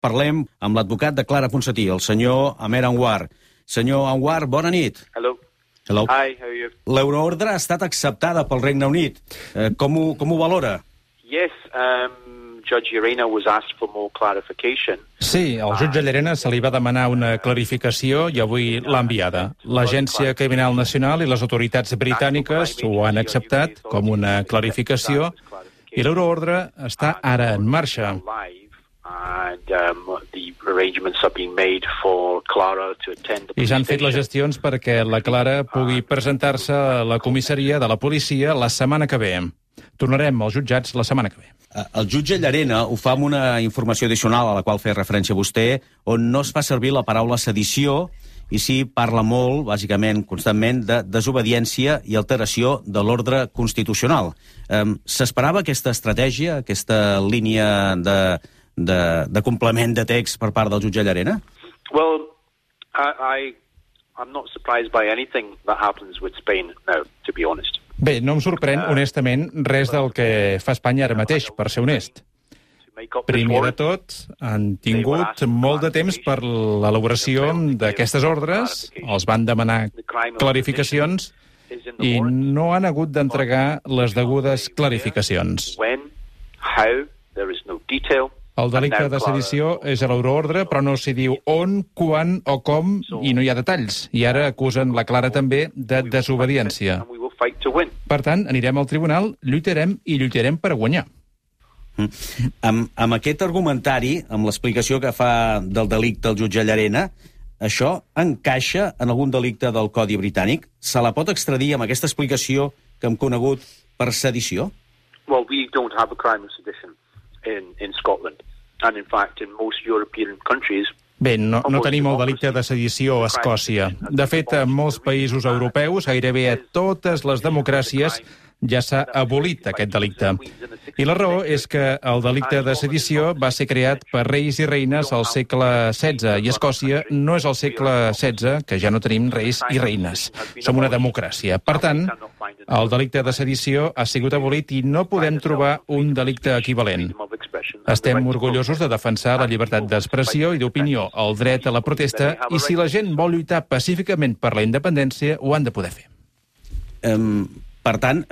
Parlem amb l'advocat de Clara Ponsatí, el senyor Amer Anwar. Senyor Anwar, bona nit. Hello. Hello. Hi, how are you? L'euroordre ha estat acceptada pel Regne Unit. Com ho valora? Yes, Judge Llarena was asked for more clarification. Sí, al jutge Llarena se li va demanar una clarificació i avui l'ha enviada. L'Agència Criminal Nacional i les autoritats britàniques ho han acceptat com una clarificació i l'euroordre està ara en marxa. I s'han fet les gestions perquè la Clara pugui presentar-se a la comissaria de la policia la setmana que ve. Tornarem als jutjats la setmana que ve. El jutge Llarena ho fa amb una informació addicional a la qual feia referència vostè, on no es fa servir la paraula sedició i sí parla molt, bàsicament, constantment, de desobediència i alteració de l'ordre constitucional. S'esperava aquesta estratègia, aquesta línia de complement de text per part del jutge Llarena? Well, I'm not surprised by anything that happens with Spain now, to be honest. Bé, no em sorprèn, honestament, res del que fa Espanya ara mateix, per ser honest. Primer de tot, han tingut molt de temps per l'elaboració d'aquestes ordres, els van demanar clarificacions i no han hagut d'entregar les degudes clarificacions. El delicte de sedició és a l'euroordre, però no s'hi diu on, quan o com, i no hi ha detalls. I ara acusen la Clara també de desobediència. Per tant, anirem al tribunal, lluitarem per guanyar. Amb aquest argumentari, amb l'explicació que fa del delicte el jutge Llarena, això encaixa en algun delicte del Codi Britànic? Se la pot extradir amb aquesta explicació que hem conegut per sedició? Well, we don't have a crime of sedition in Scotland. And in fact, in most European countries... Bé, no tenim el delicte de sedició a Escòcia. De fet, en molts països europeus, gairebé a totes les democràcies, ja s'ha abolit aquest delicte. I la raó és que el delicte de sedició va ser creat per reis i reines al segle XVI, i Escòcia no és al segle XVI, que ja no tenim reis i reines. Som una democràcia. Per tant, el delicte de sedició ha sigut abolit i no podem trobar un delicte equivalent. Estem orgullosos de defensar la llibertat d'expressió i d'opinió, el dret a la protesta, i si la gent vol lluitar pacíficament per la independència, ho han de poder fer. Per tant,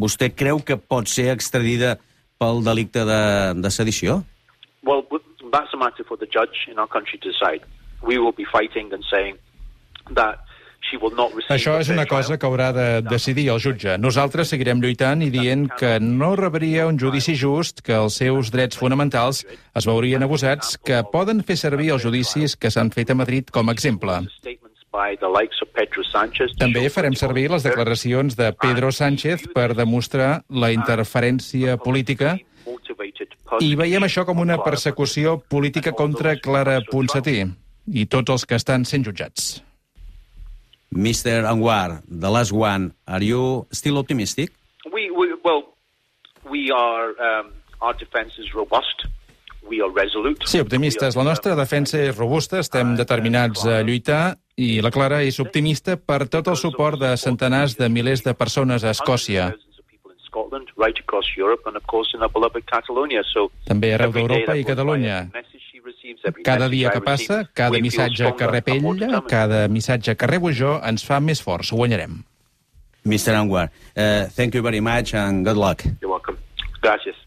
vostè creu que pot ser extradida pel delicte de sedició? Well, that's a matter for the judge in our country to decide. We will be fighting and saying that she will not receive... Això és una cosa que haurà de decidir el jutge. Nosaltres seguirem lluitant i dient que no rebria un judici just, que els seus drets fonamentals es veurien abusats, que poden fer servir els judicis que s'han fet a Madrid com a exemple. També farem servir les declaracions de Pedro Sánchez per demostrar la interferència política i veiem això com una persecució política contra Clara Ponsatí i tots els que estan sent jutjats. Mr. Anwar, the last one, are you still optimistic? Our defense is robust. We are resolute. Sí, optimistes. La nostra defensa és robusta, estem determinats a lluitar i la Clara és optimista per tot el suport de centenars de milers de persones a Escòcia. També arreu d'Europa i Catalunya. Cada dia que passa, cada missatge que rep ella, cada missatge que rebo jo, ens fa més forts. Ho guanyarem. Mr. Anwar, thank you very much and good luck. You're welcome. Gracias.